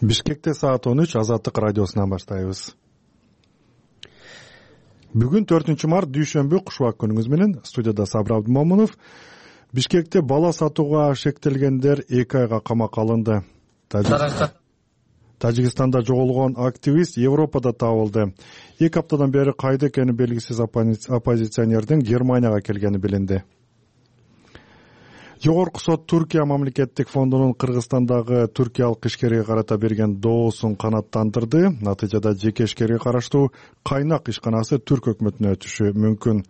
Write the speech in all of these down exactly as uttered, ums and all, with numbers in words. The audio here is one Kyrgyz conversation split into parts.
Бишкекте саат он үч Азаттык радиосунан баштайбыз. Бүгүн төртүнчү март дүйшөмбү, куш убак күнүңүз менен. Студияда Сабыр Абдымомунов. Бишкекте бала сатууга шектелгендер эки айга камакка алынды. Тажикстанда жоголгон активист Европада табылды. Эки аптадан бери кайда экени белгисиз оппозиционердин Германияга келгени билинди. Жогорку сот Туркия мамлекеттик фондунун Кыргызстандагы түркиялык ишкерге карата берген доосун канааттандырды. Натыйжада жеке ишкерге караштуу Кайнак ишканасы Түрк өкмөтүнө өтүшү мүмкүн.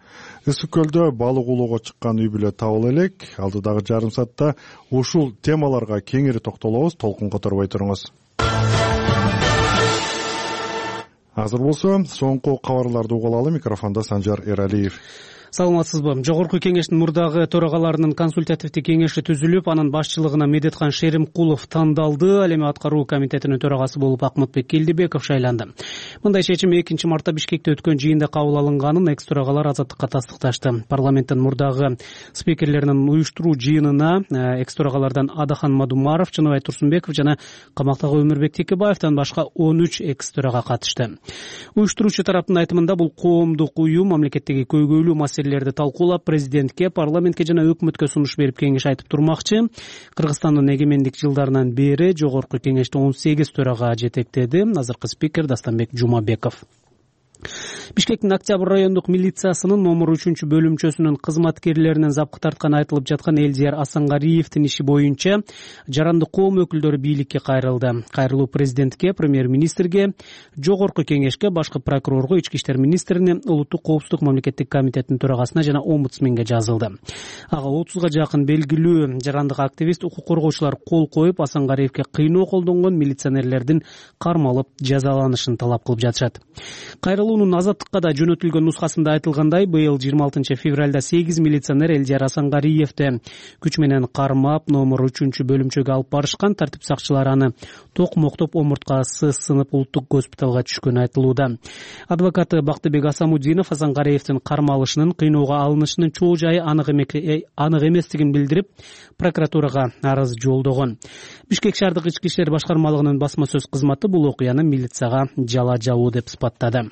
Ысык көлдө балык улоого чыккан үй бүлө табыла элек. Алдыдагы жарым саатта ушул темаларга кеңири токтолобуз. Толкун которбой туруңуз. Азыр болсо соңку кабарларды угулалы. Микрофондо Санжар Эралиев. Саламатсызбы? Жогорку кеңештин мурдагы төрагаларынын консультативдик кеңеши түзүлүп, анын башчылыгына Медеткан Шеримкулов тандалды. Ал эми аткаруу комитетинин төрагасы болуп Акмытбек Келдибеков шайланды. Мындай чечим экинчи мартта Бишкекте өткөн жыйында кабыл алынганын экс төрагалар Азаттыкка тастыкташты. Парламенттин мурдагы спикерлеринин уюштуруу жыйынына экс төрагалардан Адахан Мадумаров, Чыныбай Турсунбеков жана камактагы Өмүрбек Текебаевден башка он үч экс төрага катышты. Уюштуруучу тараптын айтымында бул коомдук уюм мамлекеттеги көйгөйлүү маселелерди талкуулап, президентке, парламентке жана өкмөткө сунуш берип кеңеш айтып турмакчы. Кыргызстандын эгемендик жылдарынан бери жогорку кеңеште он сегиз төрага жетектеди. Азыркы спикер Дастанбек Жумабеков. Бишкектин Октябрь райондук милициясынын номер үчүнчү бөлүмчөсүнүн кызматкерлеринин запкы тартканы айтылып жаткан Элдияр Асангариевдин иши боюнча жарандык коом өкүлдөрү бийликке кайрылды. Кайрылуу президентке, премьер-министрге, жогорку кеңешке, башкы прокурорго, ички иштер министрине, улуттук коопсуздук мамлекеттик комитетинин төрагасына жана омбудсменге жазылды. Ага отузга жакын белгилүү жарандык активист, укук коргоочулар кол коюп, Асангариевге кыйноо колдонгон милиционерлердин кармалып жазаланышын талап кылып жатышат. Кайрылуунун Азаттыкка да жөнөтүлгөн нускасында айтылгандай, быйыл жыйырма алтынчы февралда сегиз милиционер Элдияр Асангариевди күч менен кармап, номер үчүнчү бөлүмчөгө алып барышкан. Тартип сакчылары аны токмоктоп, омурткасы сынып улуттук госпиталга түшкөнү айтылууда. Адвокаты Бактыбек Асамудинов Асангариевдин кармалышынын, кыйноого алынышынын чоо жайы анык эместигин билдирип, прокуратурага арыз жолдогон. Бишкек шаардык ички иштер башкармалыгынын басма сөз кызматы бул окуяны милицияга жала жабуу деп сыпаттады.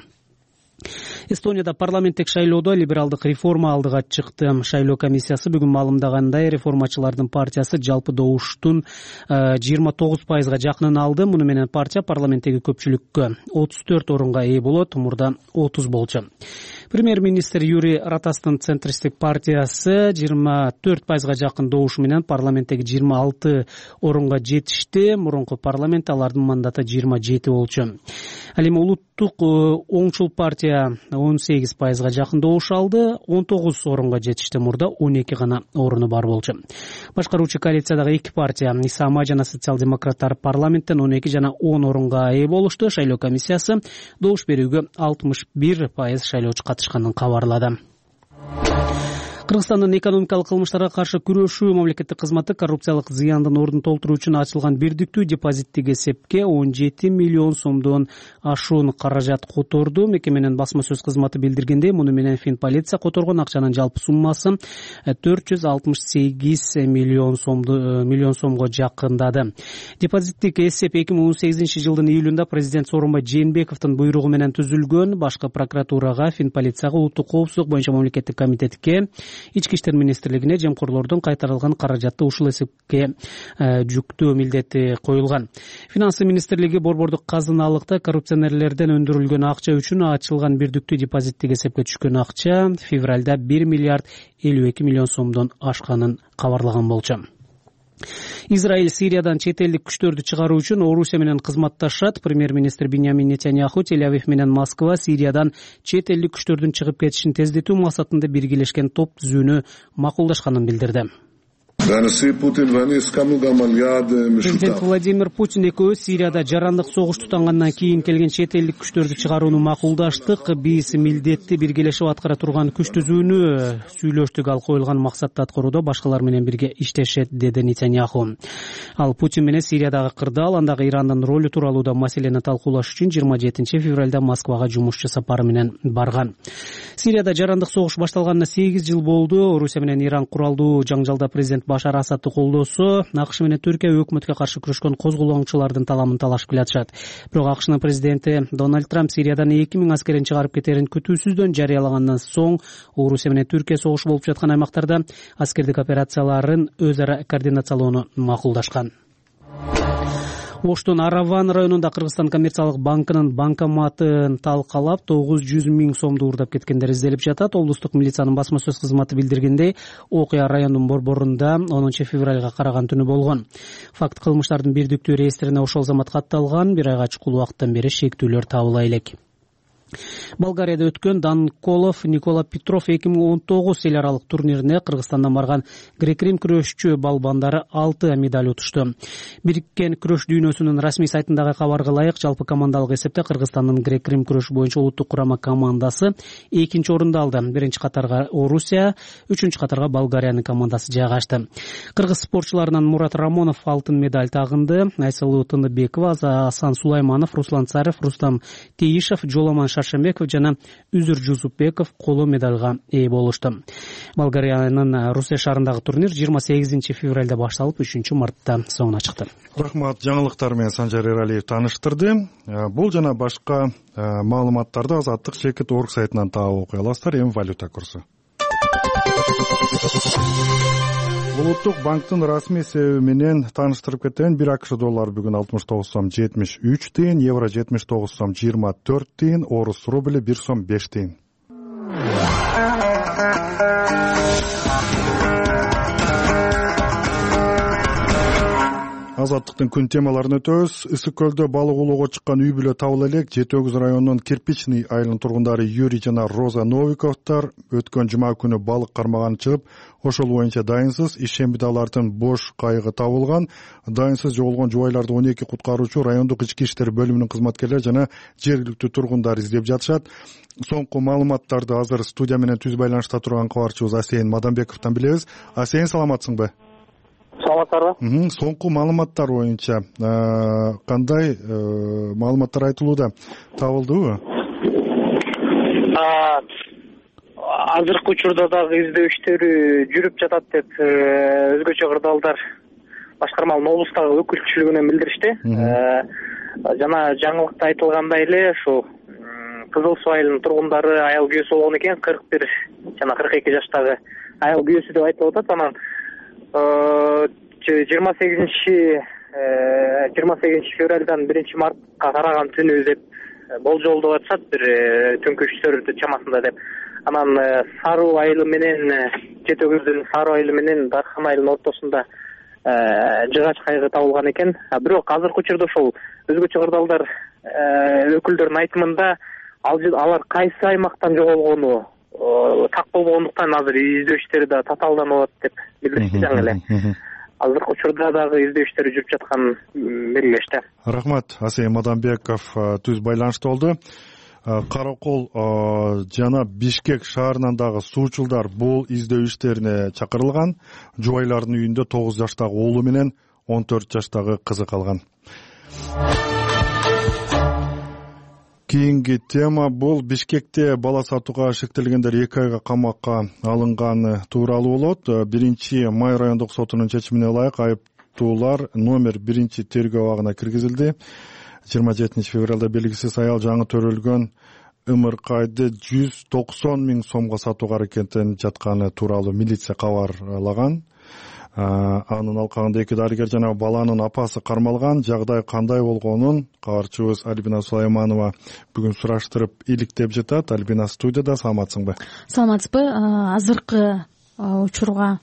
Эстонияда парламенттик шайлоодо либералдык реформа алдыга чыкты. Шайлоо комиссиясы бүгүн маалымдагандай, реформачылардын партиясы жалпы добуштун жыйырма тогуз пайызга жакынын алды. Муну менен партия парламенттеги көпчүлүккө отуз төрт орунга ээ болот, мурда отуз болчу. Премьер-министр Юрий Ратастын центристик партиясы жыйырма төрт пайызга жакын добушу менен парламенттеги жыйырма алты орунга жетишти. Мурунку парламент алардын мандаты жыйырма жети болчу. Ал эми улуттук оңчул партия он сегиз пайызга жакын добуш алды, он тогуз орунга жетишти. Мурда он эки гана оруну бар болчу. Башкаруучу коалициядагы эки партия, Исама жана социал-демократтар парламенттен он эки жана он орунга ээ болушту. Шайлоо комиссиясы добуш берүүгө алтымыш бир пайыз шайлоочу катышканын кабарлады. Кыргызстандын экономикалык кылмыштарга каршы күрөшүү мамлекеттик кызматы коррупциялык зыяндын ордун толтуруу үчүн ачылган бирдиктүү депозиттик эсепке он жети миллион сомдон ашуун каражат которду. Мекеменин басма сөз кызматы билдиргендей, муну менен Финполиция которгон акчанын жалпы суммасы төрт жүз алтымыш сегиз миллион сомду миллион сомго жакындады. Депозиттик эсеп эки миң он сегизинчи жылдын июлунда президент Сооронбай Жээнбековдун буйругу менен түзүлгөн. Башкы прокуратурага, Финполицияга, улуттук коопсуздук боюнча мамлекеттик комитетке, Ички иштер министрлигине жемкорлордун кайтарылган каражатты ушул эсепке жүктөө милдети коюлган. Финансы министрлиги борбордук казыналыкта коррупционерлерден өндүрүлгөн акча үчүн ачылган бирдиктүү депозиттик эсепке түшкөн акча февралда бир миллиард элүү эки миллион сомдон ашканын кабарлаган болчу. Израиль Сириядан чет элдик күчтөрдү чыгаруу үчүн Орусия менен кызматташат. Премьер-министр Биньямин Нетаньяху Тель-Авив менен Москва Сириядан чет элдик күчтөрдүн чыгып кетишин тездетүү максатында биргелешкен топ түзүүнү макулдашканын билдирди. Президент Владимир Путин экөөбүз Сирияда жарандык согуш тутангандан кийин келген чет элдик күчтөрдү чыгарууну макулдаштык. Биз милдетти биргелешип аткара турган күч түзүүнү сүйлөштүк. Ал коюлган максатты аткарууда башкалар менен бирге иштешет, деди Нетаньяху. Ал Путин менен Сириядагы кырдаал, андагы Ирандын ролу тууралуу да маселени талкуулаш үчүн жыйырма жетинчи февралда Москвага жумушчу сапары менен барган. Сирияда жарандык согуш башталганына сегиз жыл болду. Орусия менен Иран куралдуу жаңжалда президент Башар Асадты колдосо, АКШ менен Түркия өкмөткө каршы күрөшкөн козголоңчулардын таламын талашып келатышат. Бирок АКШнын президенти Дональд Трамп Сириядан эки миң аскерин чыгарып кетерин күтүүсүздөн жарыялагандан соң Орусия менен Түркия согушу болуп жаткан аймактарда аскердик операцияларын өз ара координациялоону макулдашкан. Оштун Араван районунда Кыргызстан коммерциялык банкынын банкоматын талкалап тогуз жүз миң сомду уурдап кеткендер изделип жатат. Облустук милициянын басма сөз кызматы билдиргендей, окуя райондун борборунда онунчу февралга караган түнү болгон. Факт кылмыштардын бирдиктүү реестрине ошол замат катталган. Бир айга чукул убакыттан бери шектүүлөр табыла элек. Болгарияда өткөн Данколов Никола Петров эки миң он тогуз эл аралык турнирине Кыргызстандан барган грек-рим күрөшчү балбандары алты медаль утушту. Бириккен күрөш дүйнөсүнүн расмий сайтындагы кабарга ылайык, жалпы командалык эсепте Кыргызстандын грек-рим күрөш боюнча улуттук курама командасы экинчи орунду алды. Биринчи катарга Орусия, үчүнчү катарга Болгариянын командасы жайгашты. Кыргыз спортчуларынан Мурат Рамонов алтын медаль тагынды. Айсылуу Тыныбекова, Асан Сулайманов, Руслан Царев, Рустам Теишев, Жоламан Шаршембеков жана Үзүр Жусупбеков коло медальга ээ болушту. Болгариянын Русия шаарындагы турнир жыйырма сегизинчи февралда башталып, үчүнчү мартта соңуна чыкты. Рахмат, жаңылыктар менен Санжар Эралиев тааныштырды. Бул жана башка маалыматтарды Азаттык чекит орг сайтынан таап окуй аласыздар. Эми валюта курсу. Улуттук банктын расмий себеби менен тааныштырып кетейин. бир АКШ доллары бүгүн алтымыш тогуз сом жетимиш үч тыйын, евро жетимиш тогуз сом жыйырма төрт тыйын, орус рубли бир сом беш тыйын. Азаттыктын күн темаларын өтөбүз. Ысык көлдө балык улоого чыккан үй бүлө табыла элек. Жети Өгүз районунун Кирпичный айылынын тургундары Юрий жана Роза Новиковдор өткөн жума күнү балык кармаганы чыгып, ошол боюнча дайынсыз. Ишембиде алардын бош кайыгы табылган. Дайынсыз жоголгон жубайларды он эки куткаруучу, райондук ички иштер бөлүмүнүн кызматкерлери жана жергиликтүү тургундар издеп жатышат. Соңку маалыматтарды азыр студия менен түз байланышта турган кабарчыбыз Асейин Мадамбековдон билебиз. Асейин, саламатсыңбы? Саламатсызбы? Соңку маалыматтар боюнча кандай маалыматтар айтылууда, табылдыбы? Азыркы учурда дагы издөө иштери жүрүп жатат деп өзгөчө кырдаалдар башкармалык облустагы өкүлчүлүгүнөн билдиришти. Жана жаңылыкта айтылгандай эле ушу Кызыл Суу айылынын тургундары аял күйөөсү болгон экен, кырк бир жана кырк эки жаштагы аял күйөөсү деп айтылып атат. Анан жыйырма сегизинчи февралдан биринчи мартка караган түнү деп болжолдоп атышат, бир түнкү үчтөр чамасында деп. Анан Саруу айылы менен Жети Өгүздүн Саруу айылы менен Дархан айылынын ортосунда жыгач кайыгы табылган экен. Бирок азыркы учурда ошол өзгөчө кырдаалдар өкүлдөрүнүн айтымында алар кайсы аймактан жоголгону так болгондуктан азыр издөө иштери да татаалданып атат деп билдиришти жаңы эле. Азыркы учурда дагы издөө иштери жүрүп жатканын белгилешти. Рахмат, Асейин Мадамбеков түз байланышта болду. Каракол жана Бишкек шаарынан дагы суучулдар бул издөө иштерине чакырылган. Жубайлардын үйүндө тогуз жаштагы уулу менен он төрт жаштагы кызы калган. Кийинки тема бул Бишкекте бала сатууга шектелгендер эки айга камакка алынганы тууралуу болот. Биринчи май райондук сотунун чечимине ылайык айыптуулар номер биринчи тергөө абагына киргизилди. жыйырма жетинчи февралда белгисиз аял жаңы төрөлгөн ымыркайды жүз токсон миң сомго сатууга аракеттенип жатканы тууралуу милиция кабарлаган. Анын алкагында эки дарыгер жана баланын апасы кармалган. Жагдай кандай болгонун кабарчыбыз Альбина Сулайманова бүгүн сураштырып иликтеп жатат. Альбина, студияда, саламатсыңбы? Саламатсызбы? Азыркы учурга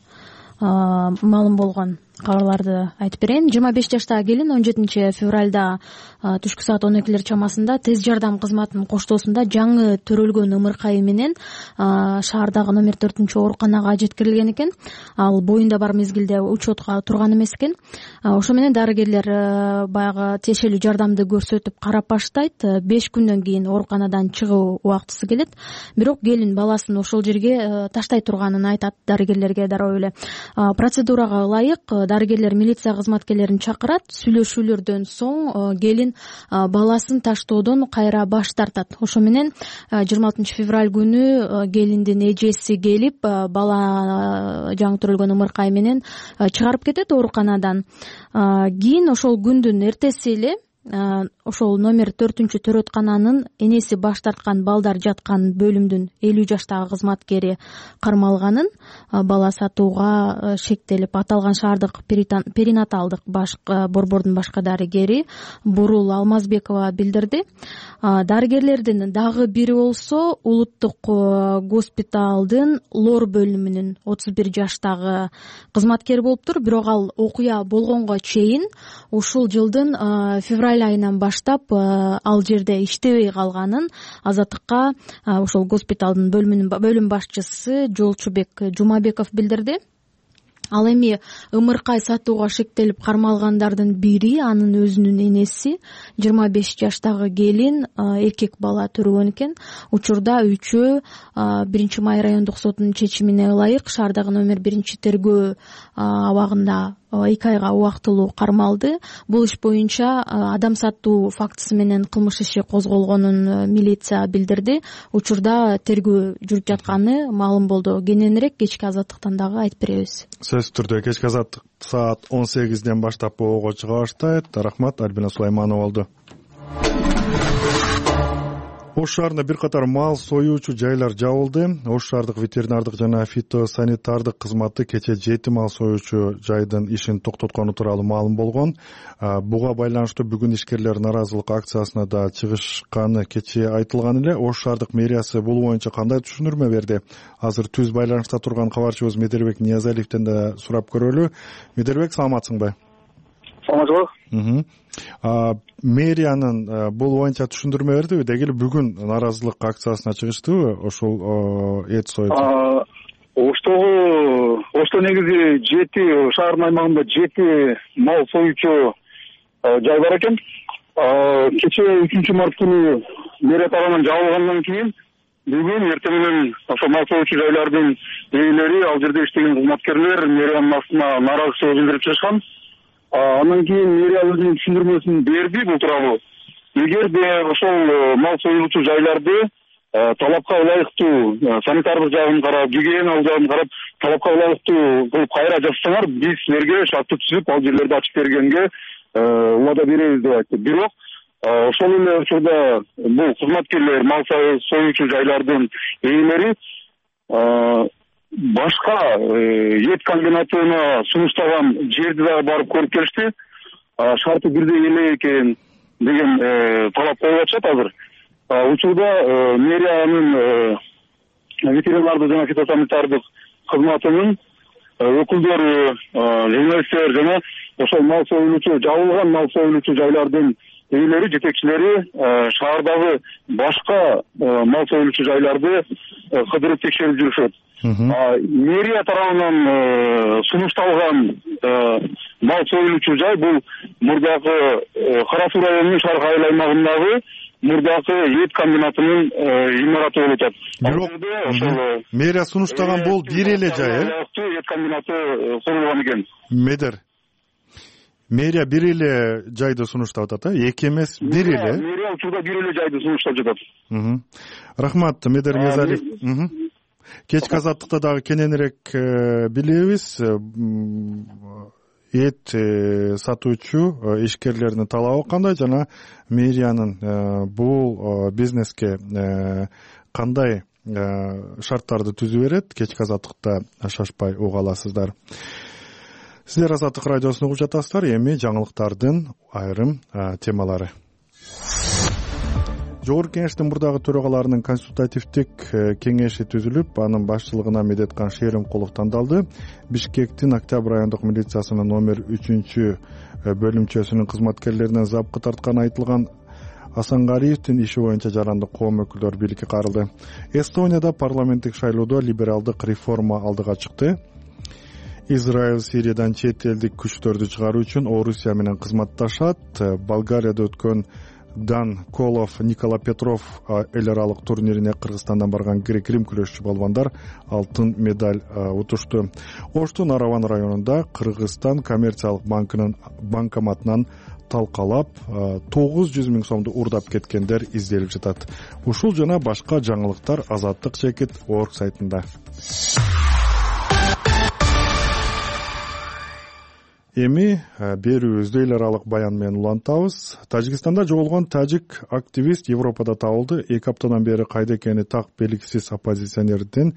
маалым болгон кабарларды айтып берейин. жыйырма беш жаштагы келин он жетинчи февралда түшкү саат он экилер чамасында тез жардам кызматынын коштоосунда жаңы төрөлгөн ымыркайы менен шаардагы номер төртүнчү ооруканага жеткирилген экен. Ал боюнда бар мезгилде учетко турган эмес экен. Ошо менен дарыгерлер баягы тиешелүү жардамды көрсөтүп карап баштайт. беш күндөн кийин ооруканадан чыгуу убактысы келет. Бирок келин баласын ошол жерге таштай турганын айтат дарыгерлерге дароо эле. Процедурага ылайык дарыгерлер милиция кызматкерлерин чакырат. Сүйлөшүүлөрдөн соң келин баласын таштоодон кайра баш тартат. Ошо менен жыйырма алтынчы февраль күнү келиндин эжеси келип бала жаңы төрөлгөн ымыркай менен чыгарып кетет ооруканадан. Кийин ошол күндүн эртеси эле ошол номер төртүнчү төрөткананын энеси баш тарткан балдар жаткан бөлүмдүн элүү жаштагы кызматкери кармалганын, бала сатууга шектелип аталган шаардык перинаталдык баш борбордун башкы дарыгери Бурул Алмазбекова билдирди. Дарыгерлердин дагы бири болсо улуттук госпиталдын лор бөлүмүнүн отуз бир жаштагы кызматкери болуптур. Бирок ал окуя болгонго чейин ушул жылдын февраль айынан баштап ал жерде иштебей калганын Азаттыкка ошол госпиталдын бөлүм башчысы Жолчубек Жумабеков билдирди. Ал эми ымыркай сатууга шектелип кармалгандардын бири анын өзүнүн энеси, жыйырма беш жаштагы келин эркек бала төрөгөн экен. Учурда үчөө биринчи май райондук сотунун чечимине ылайык шаардагы номер биринчи тергөө абагында эки айга убактылуу кармалды. Бул иш боюнча адам сатуу фактысы менен кылмыш иши козголгонун милиция билдирди. Учурда тергөө жүрүп жатканы маалым болду. Кененирээк кечки Азаттыктан дагы айтып беребиз. Сөзсүз түрдө кечки Азаттык саат он сегизден баштап боого чыга баштайт. Рахмат, Альбина Сулайманова болду. Ош шаарында бир катар мал союучу жайлар жабылды. Ош шаардык ветеринардык жана фитосанитардык кызматы кечээ жети мал союучу жайдын ишин токтоткону тууралуу маалым болгон. Буга байланыштуу бүгүн ишкерлер нааразылык акциясына да чыгышканы кечээ айтылган эле. Ош шаардык мэриясы бул боюнча кандай түшүндүрмө берди? Азыр түз байланышта турган кабарчыбыз Медербек Ниязалиевден да сурап көрөлү. Медербек, саламатсыңбы? Саламатсызбы. Мэриянын бул боюнча түшүндүрмө бердиби? Деги эле бүгүн нааразылык акциясына чыгыштыбы ошол эт союучу? Оштогу Ошто негизи жети шаардын аймагында жети мал союучу жай бар экен. Кечээ үчүнчү март күнү мэрия тарабынан жабылгандан кийин бүгүн эртең менен ошо мал союучу жайлардын ээлери, ал жерде иштеген кызматкерлер мэриянын астына нааразычылык билдирип чыгышкан. Андан кийин мэрия өзүнүн түшүндүрмөсүн берди бул тууралуу. Эгерде ошол мал союлуучу жайларды талапка ылайыктуу санитардык жагын карап, гигиеналык жагын карап, талапка ылайыктуу кылып кайра жапсаңар, биз силерге шартты түзүп ал жерлерди ачып бергенге убада беребиз деп айтты. Бирок ошол эле учурда бул кызматкерлер, мал союучу жайлардын ээлери башка эт комбинатына сунуштаган жерди дагы барып көрүп келишти. Шарты бирдей эле экен деген талап коюп атышат азыр. Учурда мэриянын ветеринардык жана фитосанитардык кызматынын өкүлдөрү, журналисттер жана ошол мал союлуучу, жабылган мал союлуучу жайлардын ээлери, жетекчилери шаардагы башка мал союлуучу жайларды кыдырып текшерип жүрүшөт. Мэрия тарабынан сунушталган мал союлуучу жай бул мурдагы Кара Суу районунун Шарк айыл аймагындагы мурдагы эт комбинатынын имараты болуп атат. Бирок мэрия сунуштаган бул бир эле жай, э? Эт комбинаты курулган экен. Медер. Мэрия бир эле жайды сунуштап атат, э? Эки эмес, бир эле. Мэрия учурда бир эле жайды сунуштап жатат. Рахмат, Медер Ниязалиев. Кечки Азаттыкта дагы кененирээк билебиз. Эт сатуучу ишкерлердин талабы кандай жана мэриянын бул бизнеске кандай шарттарды түзүп берет? Кечки Азаттыкта шашпай уга аласыздар. Сиздер Азаттык радиосун угуп жатасыздар. Эми жаңылыктардын айрым темалары. Жогорку Кеңештин мурдагы төрагаларынын консультативдик кеңеши түзүлүп, анын башчылыгына Медеткан Шеримкулов тандалды. Бишкектин Октябрь райондук милициясынын номер үчүнчү бөлүмчөсүнүн кызматкерлерине запкы тартканы айтылган Асангариевдин иши боюнча жарандык коом өкүлдөрү бийликке карылды. Эстонияда парламенттик шайлоодо либералдык реформа алдыга чыкты. Израиль Сириядан чет элдик күчтөрдү чыгаруу үчүн Орусия менен кызматташат. Болгарияда өткөн Дан Колов, Никола Петров эл аралык турнирине Кыргызстандан барган грек-рим күрөшчү балбандар алтын медаль утушту. Оштун Араван районунда Кыргызстан коммерциялык банкынын банкоматынан талкалап тогуз жүз миң сомду урдап кеткендер изделип жатат. Ушул жана башка жаңылыктар Азаттык чекит орг сайтында. Эми берүүбүздү эл аралык баян менен улантабыз. Тажикстанда жоголгон тажик активист Европада табылды. Эки аптадан бери кайда экени так белгисиз оппозиционердин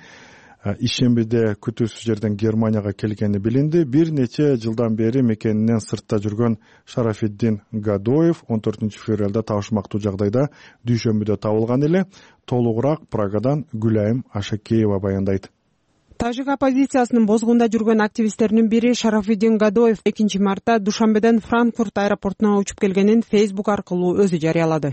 ишембиде күтүүсүз жерден Германияга келгени билинди. Бир нече жылдан бери мекенинен сыртта жүргөн Шарафиддин Гадоев он төртүнчү февралда табышмактуу жагдайда дүйшөмбүдө табылган эле. Толугураак Прагадан Гүлайым Ашакеева баяндайт. Тажик оппозициясынын бозгунда жүргөн активисттеринин бири Шарафиддин Гадоев экинчи мартта Душанбеден Франкфурт аэропортуна учуп келгенин Facebook аркылуу өзү жарыялады.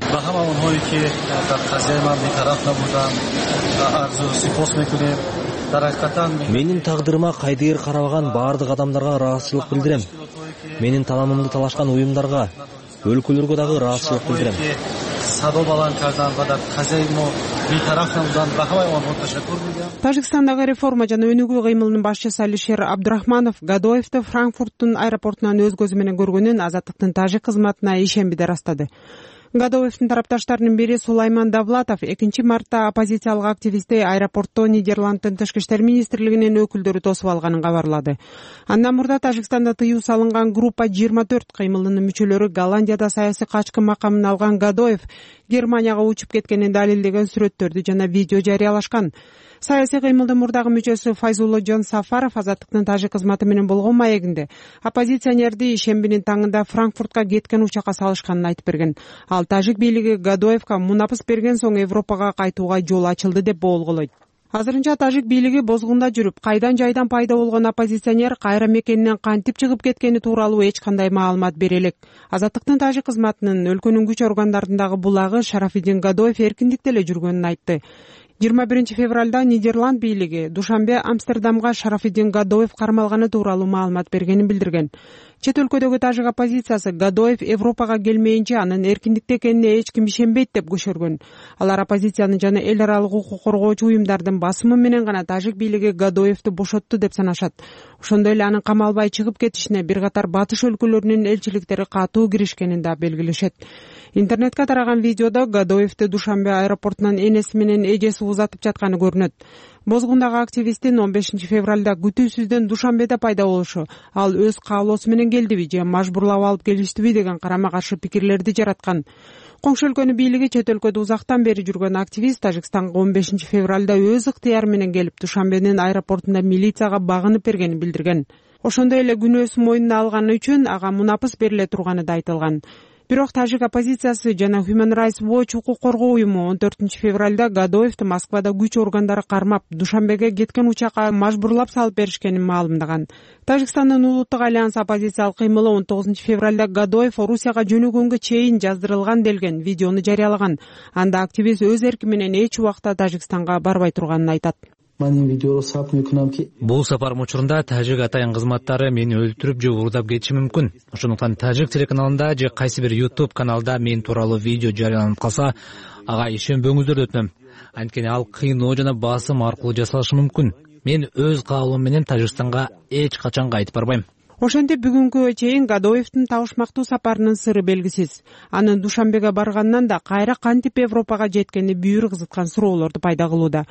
Менин тагдырыма кайдыгер карабаган баардык адамдарга ыраазычылык билдирем. Менин таанымымды талашкан уюмдарга, өлкөлөргө дагы ыраазычылык билдирем. Тажикстандагы реформа жана өнүгүү кыймылынын башчысы Алишер Абдурахманов Гадоевди Франкфурттун аэропортунан өз көзү менен көргөнүн Азаттыктын тажик кызматына ишембиде ырастады. Гадоевдин тарапташтарынын бири Сулайман Давлатов экинчи мартта оппозициялык активистти аэропортто Нидерланддын тышкы иштер министрлигинин өкүлдөрү тосуп алганын кабарлады. Андан мурда Тажикстанда тыюу салынган группа жыйырма төрт кыймылынын мүчөлөрү Голландияда саясий качкын макамын алган Гадоев Германияга учуп кеткенин далилдеген сүрөттөрдү жана видео жарыялашкан. Саясий кыймылдын мурдагы мүчөсү Файзулло Жон Сафаров Азаттыктын тажик кызматы менен болгон маегинде оппозиционерди ишембинин таңында Франкфуртка кеткен учакка салышканын айтып берген. Ал тажик бийлиги Гадоевка мунапыс берген соң Европага кайтууга жол ачылды деп боолголойт. Азырынча тажик бийлиги бозгунда жүрүп, кайдан жайдан пайда болгон оппозиционер кайра мекенинен кантип чыгып кеткени тууралуу эч кандай маалымат бере элек. Азаттыктын тажик кызматынын өлкөнүн күч органдарындагы булагы Шарафиддин Гадоев эркиндикте эле жүргөнүн айтты. жыйырма биринчи февралда Нидерланд бийлиги Душанбе Амстердамга Шарафиддин Гадоев кармалганы тууралуу маалымат бергенин билдирген. Чет өлкөдөгү тажик оппозициясы Гадоев Европага келмейинче анын эркиндикте экенине эч ким ишенбейт деп көшөргөн. Алар оппозицияны жана эл аралык укук коргоочу уюмдардын басымы менен гана тажик бийлиги Гадоевди бошотту деп санашат. Ошондой эле анын камалбай чыгып кетишине бир катар батыш өлкөлөрүнүн элчиликтери катуу киришкенин да белгилешет. Интернетке тараган видеодо Гадоевди Душанбе аэропортунан энеси менен эжеси узатып жатканы көрүнөт. Бозгундагы активисттин он бешинчи февралда күтүүсүздөн Душанбеде пайда болушу, ал өз каалоосу менен келдиби же мажбурлап алып келиштиби деген карама каршы пикирлерди жараткан. Коңшу өлкөнүн бийлиги чет өлкөдө узактан бери жүргөн активист Тажикстанга он бешинчи февралда өз ыктыяры менен келип Душанбенин аэропортунда милицияга багынып бергенин билдирген. Ошондой эле күнөөсүн мойнуна алганы үчүн ага мунапыс бериле турганы да айтылган. Бирок тажик оппозициясы жана Human Rights Watch укук коргоо уюму он төртүнчү февралда Гадоевди Москвада күч органдары кармап, Душанбеге кеткен учакка мажбурлап салып беришкенин маалымдаган. Тажикстандын улуттук альянс оппозициялык кыймылы он тогузунчу февралда Гадоев Орусияга жөнөгөнгө чейин жаздырылган делген видеону жарыялаган. Анда активист өз эрки менен эч убакта Тажикстанга барбай турганын айтат. Бул сапарым учурунда тажик атайын кызматтары мени өлтүрүп же уурдап кетиши мүмкүн. Ошондуктан тажик телеканалында же кайсы бир YouTube каналда мен тууралуу видео жарыяланып калса, ага ишенбөңүздөр деп өтүнөм. Анткени ал кыйноо жана басым аркылуу жасалышы мүмкүн. Мен өз каалоом менен Тажикстанга эч качан кайтып барбайм. Ошентип бүгүнкүгө чейин Гадоевдин табышмактуу сапарынын сыры белгисиз. Анын Душанбеге баргандан да кайра кантип Европага жеткени бүйүр кызыткан суроолорду пайда кылууда.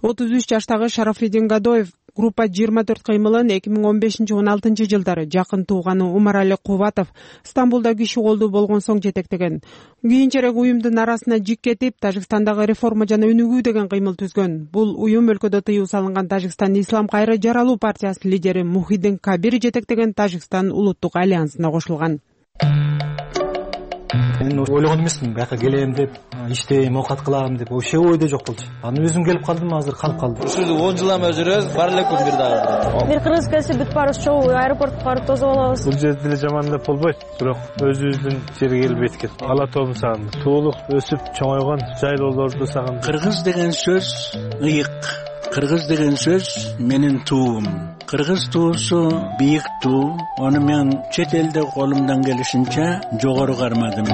отуз үч жаштагы Шарафиддин Гадоев группа жыйырма төрт кыймылын эки миң он бешинчи он алтынчы жылдары жакын тууганы Умарали Кубатов Стамбулда киши колдуу болгон соң жетектеген. Кийинчерээк уюмдун арасына жик кетип, Тажикстандагы реформа жана өнүгүү деген кыймыл түзгөн. Бул уюм өлкөдө тыюу салынган Тажикстан Ислам кайра жаралуу партиясынын лидери Мухиддин Кабир жетектеген Тажикстан улуттук альянсына кошулган. Мен ойлогон эмесмин, бияка келем деп, иштейм, оокат кылам деп, вообще ойдо жок болчу. Аны өзүм келип калдым, азыр калып калдым. Ушул он жыл эме жүрөбүз, бар эле күн бир дагы. Бир кыргыз келсе бүт барыбыз чогуу аэропортко барып тосуп алабыз. Бул жерде деле жамандап болбойт, бирок өзүбүздүн жерге келип эткет. Ала тоом сагынды. Туулук, өсүп чоңойгон жайлоолорду сагынды. Кыргыз деген сөз ыйык. Кыргыз деген сөз менин туум. Кыргыз туусу бийик туу. Аны мен чет элде колумдан келишинче жогору кармадым.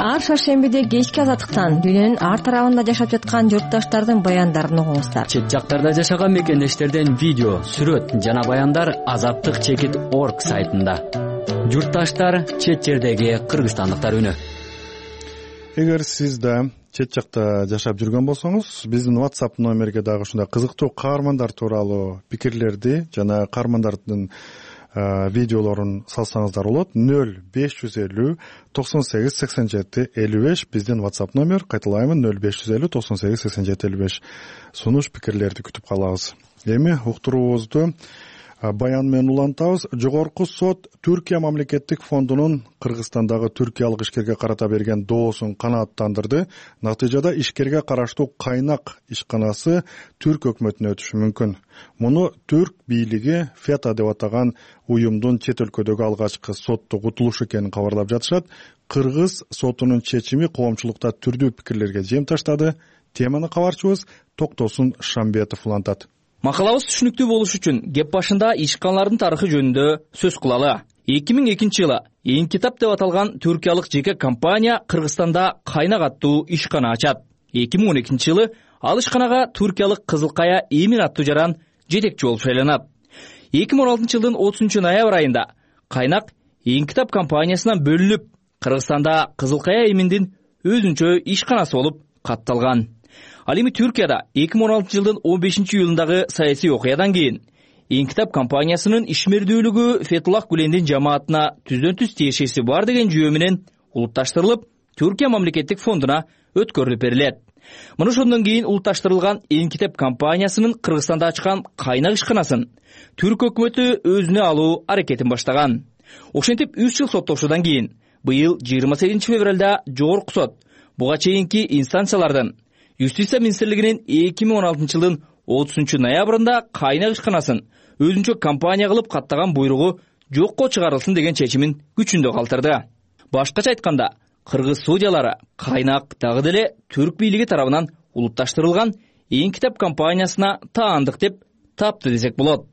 ар шаршембиде кечки азаттыктан дүйнөнүн ар тарабында жашап жаткан журтташтардын баяндарын угуңуздар. Чет жактарда жашаган мекендештерден видео, сүрөт жана баяндар азаттык чекит орг сайтында. Журтташтар, чет жердеги кыргызстандыктар үнү. Эгер сиз да чет жакта жашап жүргөн болсоңуз, биздин WhatsApp номерге дагы ушундай кызыктуу каармандар тууралуу пикирлерди жана каармандардын видеолорун салсаңыздар болот. нөл беш жүз элүү токсон сегиз сексен жети элүү беш биздин WhatsApp номер. Кайталайм, нөл беш жүз элүү токсон сегиз сексен жети элүү беш. Сунуш пикирлерди күтүп калабыз. Эми уктуруубузду баян менен улантабыз. Жогорку сот Түркия мамлекеттик фондунун Кыргызстандагы түркиялык ишкерге карата берген доосун канааттандырды. Натыйжада ишкерге караштуу Кайнак ишканасы Түрк өкмөтүнө өтүшү мүмкүн. Муну Түрк бийлиги ФЕТА деп атаган уюмдун чет өлкөдөгү алгачкы соттук утулушу экенин кабарлап жатышат. Кыргыз сотунун чечими коомчулукта түрдүү пикирлерге жем таштады. Теманы кабарчыбыз Токтосун Шамбетов улантат. Макалабыз түшүнүктүү болуш үчүн кеп башында ишканалардын тарыхы жөнүндө сөз кылалы. эки миң экинчи жылы Эң китап деп аталган түркиялык жеке компания Кыргызстанда Кайнак аттуу ишкана ачат. эки миң он экинчи жылы ал ишканага туркиялык Кызылкая Эмин аттуу жаран жетекчи болуп шайланат. эки миң он алтынчы жылдын отузунчу ноябрь айында Кайнак Эң китап компаниясынан бөлүнүп, Кыргызстанда Кызылкая Эминдин өзүнчө ишканасы болуп катталган. Ал эми Түркияда эки миң он алтынчы жылдын он бешинчи июлундагы саясий окуядан кийин Эң китап компаниясынын ишмердүүлүгү Фетуллах Гүлендин жамаатына түздөн түз тиешеси бар деген жүйө менен улутташтырылып, Түркия мамлекеттик фондуна өткөрүлүп берилет. Мына ошондон кийин улутташтырылган Эң китап компаниясынын Кыргызстанда ачкан Кайнак ишканасын Түрк өкмөтү өзүнө алуу аракетин баштаган. Ошентип үч жыл соттошуудан кийин быйыл жыйырма сегизинчи февралда жогорку сот буга чейинки инстанциялардын Юстиция министрлигинин эки миң он алтынчы жылдын отузунчу ноябрында Кайнак ишканасын өзүнчө компания кылып каттаган буйругу жокко чыгарылсын деген чечимин күчүндө калтырды. Башкача айтканда, кыргыз судьялары Кайнак дагы деле түрк бийлиги тарабынан улутташтырылган Эң китап компаниясына таандык деп тапты десек болот.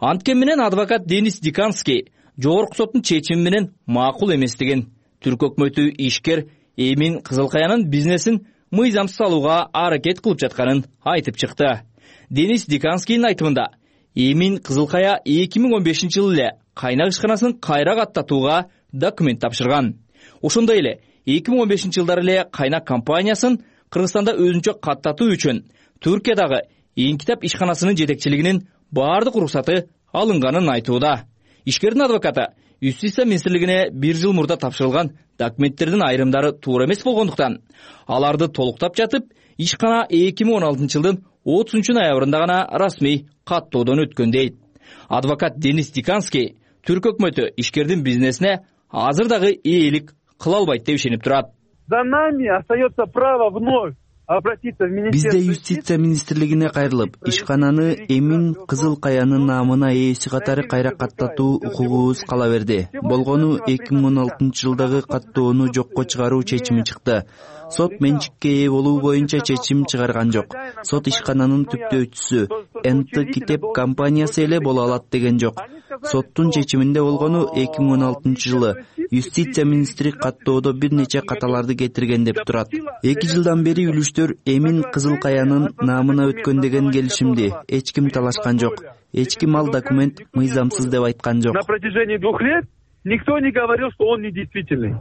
Анткени менен адвокат Денис Диканский жогорку соттун чечими менен макул эместигин, түрк өкмөтү ишкер Эмин Кызылкаянын бизнесин мыйзамсыз алууга аракет кылып жатканын айтып чыкты. Денис Диканскийдин айтымында, Эмин Кызылкая эки миң он бешинчи жылы эле Кайнак ишканасын кайра каттатууга документ тапшырган. Ошондой эле эки миң он бешинчи жылдары эле Кайнак компаниясын Кыргызстанда өзүнчө каттатуу үчүн Түркиядагы Эң китап ишканасынын жетекчилигинин баардык уруксаты алынганын айтууда. Ишкердин адвокаты Юстиция министрлигине бир жыл мурда тапшырылган документтердин айрымдары туура эмес болгондуктан, аларды толуктап жатып, ишкана эки миң он алтынчы жылдын отузунчу ноябрында гана расмий каттоодон өткөн дейт. Адвокат Денис Диканский түрк өкмөтү ишкердин бизнесине азыр дагы ээлик кыла албайт деп ишенип турат. За нами остается право вновь обратиться в министерство. Бизде юстиция министрлигине кайрылып, ишкананы Эмин Кызылкаянын наамына ээси катары кайра каттатуу укугубуз кала берди. Болгону эки миң он алтынчы жылдагы каттоону жокко чыгаруу чечими чыкты. Сот менчикке ээ болуу боюнча чечим чыгарган жок. Сот ишкананын түптөөчүсү эн тэ китеп компаниясы эле боло алат деген жок. Соттун чечиминде болгону эки миң он алтынчы жылы юстиция министри каттоодо бир нече каталарды кетирген деп турат. эки жылдан бери үлүштөр Эмин Кызылкаянын наамына өткөн деген келишимди эч ким талашкан жок. Эч ким ал документ мыйзамсыз деп айткан жок. На протяжении двух лет никто не говорил, что он недействительный.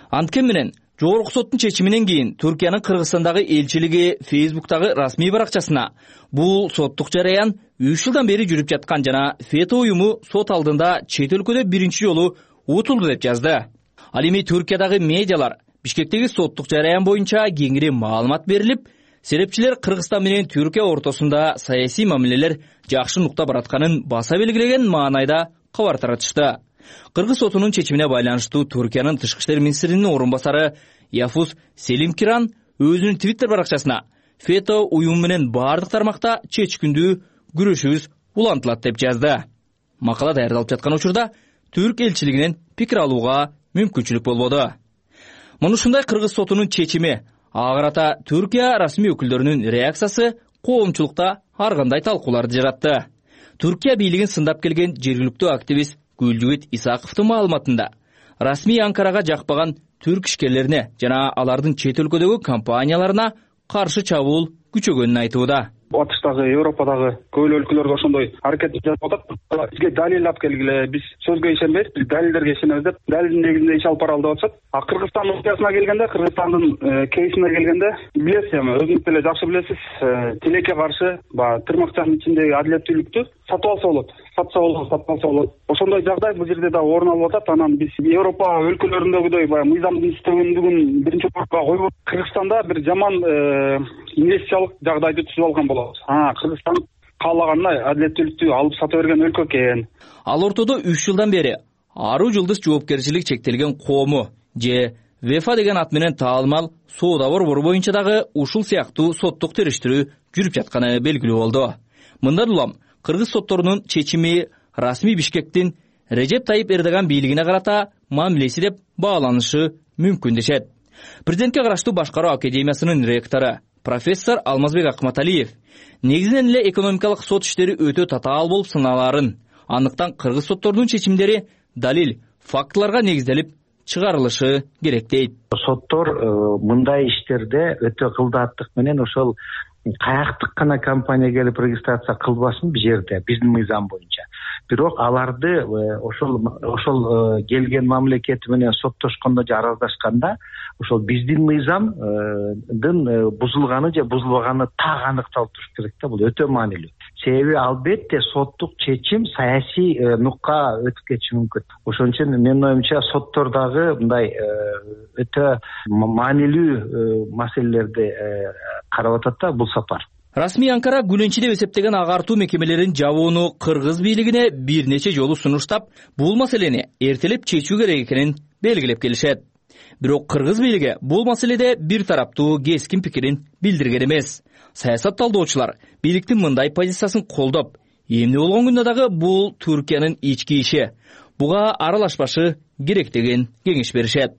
Анткени менен жогорку соттун чечиминен кийин Түркиянын Кыргызстандагы элчилиги Фейсбуктагы расмий баракчасына бул соттук жараян үч жылдан бери жүрүп жаткан жана ФЕТА уюму сот алдында чет өлкөдө биринчи жолу утулду деп жазды. Ал эми Түркиядагы медиалар Бишкектеги соттук жараян боюнча кеңири маалымат берилип, серепчилер Кыргызстан менен Түркия ортосунда саясий мамилелер жакшы нукта баратканын баса белгилеген маанайда кабар таратышты. Кыргыз сотунун чечимине байланыштуу Түркиянын тышкы иштер министринин орун басары Яфус Селимкиран өзүнүн Твиттер баракчасына ФЕТА уюму менен бардык тармакта чечкиндүү күрөшүбүз улантылат деп жазды. Макала даярдалып жаткан учурда Түрк элчилигинен пикир алууга мүмкүнчүлүк болбоду. Муну ушундай Кыргыз сотунун чечими, ага карата Түркия расмий өкүлдөрүнүн реакциясы коомчулукта ар кандай талкууларды жаратты. Түркия бийлигин сындап келген жергиликтүү активист Гүлжүгүт Исаковдун маалыматында расмий Анкарага жакпаган түрк ишкерлерине жана алардын чет өлкөдөгү компанияларына каршы чабуул күчөгөнүн айтууда. Батыштагы, Европадагы көп өлкөлөргө ошондой аракет жасап атат. Бизге далил алып келгиле, биз сөзгө ишенбейбиз, биз далилдерге ишенебиз деп, далилдин негизинде иш алып баралы деп атышат. А Кыргызстан окуясына келгенде, Кыргызстандын кейсине келгенде, билесиз эми, өзүңүз деле жакшы билесиз, тилекке каршы, баягы тырмакчанын ичиндеги адилеттүүлүктү сатып алса болот, сатса болот, сатып алса болот. Ошондой жагдай бул жерде да орун алып атат. Анан биз Европа өлкөлөрүндөгүдөй баягы мыйзамдын иштегөндүгүн биринчи орунга коюп, Кыргызстанда бир жаман инвестициялык жагдайды түзүп алган болот. А Кыргызстан каалагандай адилеттүүлүктү алып сата берген өлкө экен. Ал ортодо үч жылдан бери Аруу Жылдыз жоопкерчилиги чектелген коому же ВЕФА деген ат менен таалымал соода борбору боюнча дагы ушул сыяктуу соттук териштирүү жүрүп жатканы белгилүү болду. Мындан улам кыргыз сотторунун чечими расмий Бишкектин Режеп Тайип Эрдоган бийлигине карата мамилеси деп бааланышы мүмкүн дешет. Президентке караштуу башкаруу академиясынын ректору профессор Алмазбек Акматалиев негизинен эле экономикалык сот иштери өтө татаал болуп саналаарын, андыктан кыргыз сотторунун чечимдери далил, фактыларга негизделип чыгарылышы керек дейт. Соттор мындай иштерде өтө кылдааттык менен ошол каяктык гана компания келип регистрация кылбасын бул жерде биздин мыйзам боюнча. Бирок аларды ошол ошол келген мамлекети менен соттошкондо же араздашканда ошол биздин мыйзамдын бузулганы же бузулбаганы так аныкталып туруш керек да. Бул өтө маанилүү. Себеби албетте соттук чечим саясий нукка өтүп кетиши мүмкүн. Ошон үчүн менин оюмча соттор дагы мындай өтө маанилүү маселелерди карап атат да бул сапар. Расмий Анкара күлөнчү деп эсептеген агартуу мекемелерин жабууну кыргыз бийлигине бир нече жолу сунуштап, бул маселени эртелеп чечүү керек экенин белгилеп келишет. Бирок кыргыз бийлиги бул маселеде бир тараптуу кескин пикирин билдирген эмес. Саясат талдоочулар бийликтин мындай позициясын колдоп, эмне болгон күндө дагы бул Түркиянын ички иши, буга аралашпашы керек деген кеңеш беришет.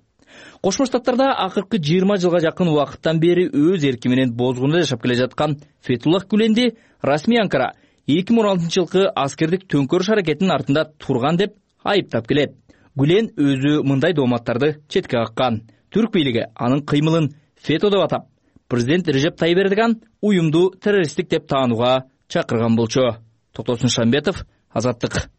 Кошмо Штаттарда акыркы жыйырма жылга жакын убакыттан бери өз эрки менен бозгунда жашап келе жаткан Фетуллах Гүленди расмий Анкара эки миң он алтынчы жылкы аскердик төңкөрүш аракетинин артында турган деп айыптап келет. Гүлен өзү мындай дооматтарды четке каккан. Түрк бийлиги анын кыймылын фето деп атап, президент Режеп Тайип Эрдоган уюмду террористтик деп таанууга чакырган болчу. Токтосун Шамбетов, Азаттык.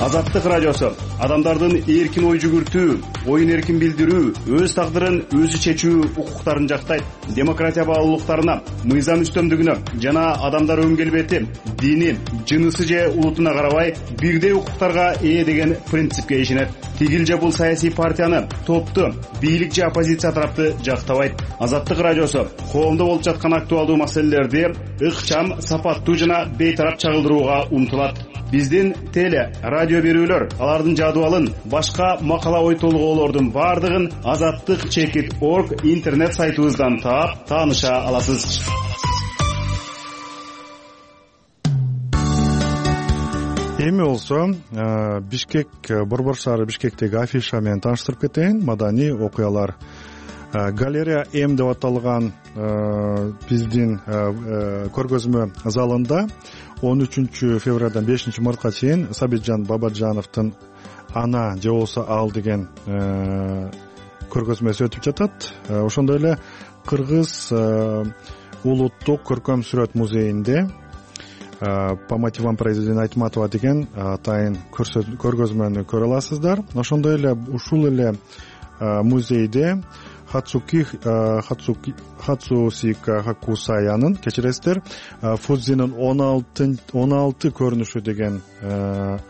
Азаттык радиосу адамдардын эркин ой жүгүртүү, оюн эркин билдирүү, өз тагдырын өзү чечүү укуктарын жактайт. Демократия баалуулуктарына, мыйзам үстөмдүгүнө жана адамдар өң келбети, дини, жынысы же улутуна карабай бирдей укуктарга ээ деген принципке ишенет. Тигил же бул саясий партияны, топту, бийлик же оппозиция тарапты жактабайт. Азаттык радиосу коомдо болуп жаткан актуалдуу маселелерди ыкчам, сапаттуу жана бейтарап чагылдырууга умтулат. Биздин теле, радио берүүлөр, алардын жадыбалын, башка макала ой толгоолордун бардыгын азаттык чекит точка орг интернет сайтыбыздан таап, тааныша аласыз. Эми болсо Бишкек, Борбор шаары Бишкектеги афиша менен тааныштырып кетейин. Маданий окуялар. Галерея М деп аталган биздин көргөзмө залында он үчүнчү февралдан бешинчи мартка чейин Сабитжан Бабаджановдун Ана же болбосо Ал деген көргөзмөсү өтүп жатат. Ошондой эле Кыргыз улуттук көркөм сүрөт музейинде Памативан Произведение Айтматова деген атайын көргөзмөнү көрө аласыздар. Ошондой эле ушул эле музейде Хацуки Хацусика Хакусаянын, кечиресиздер, Фудзинин он алты көрүнүшү деген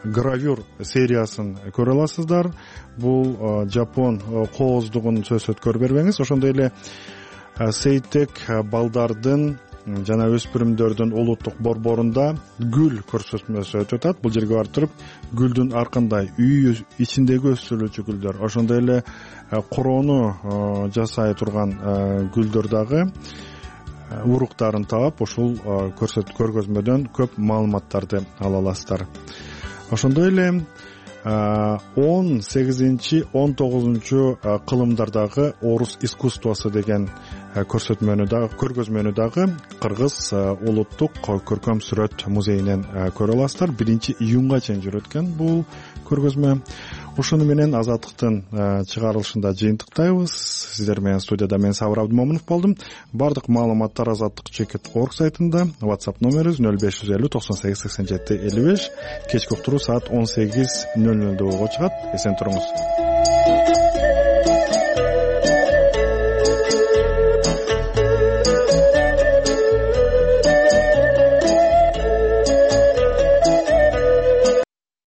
гравюр сериясын көрө аласыздар. Бул жапон кооздугун сөзсөз көрүп бербеңиз. Ошондой эле Сейтек балдардын жана өспүрүмдөрдүн улуттук борборунда гүл көрсөтмөсү өтүп атат. Бул жерге барып туруп гүлдүн ар кандай үй ичиндеги өстүрүлчү гүлдөр, ошондой эле короону жасай турган гүлдөр дагы уруктарын таап, ушул көргөзмөдөн көп маалыматтарды ала аласыздар. Ошондой эле он сегизинчи он тогузунчу кылымдардагы орус искусствосу деген көрсөтмөнү дагы көргөзмөнү дагы Кыргыз улуттук көркөм сүрөт музейинен көрө аласыздар. биринчи июнга чейин жүрөт экен бул көргөзмө. Ушуну менен Азаттыктын чыгарылышында жыйынтыктайбыз. Сиздер менен студияда мен Сабыр Абдымомунов болдум. Бардык маалыматтар азаттык чекит точка орг сайтында. WhatsApp номерибиз нөл беш жүз элүү токсон сегиз сексен жети элүү беш. Кечки уктуруу саат он сегиз нөл нөлдө болго чыгат. Эсен туруңуз.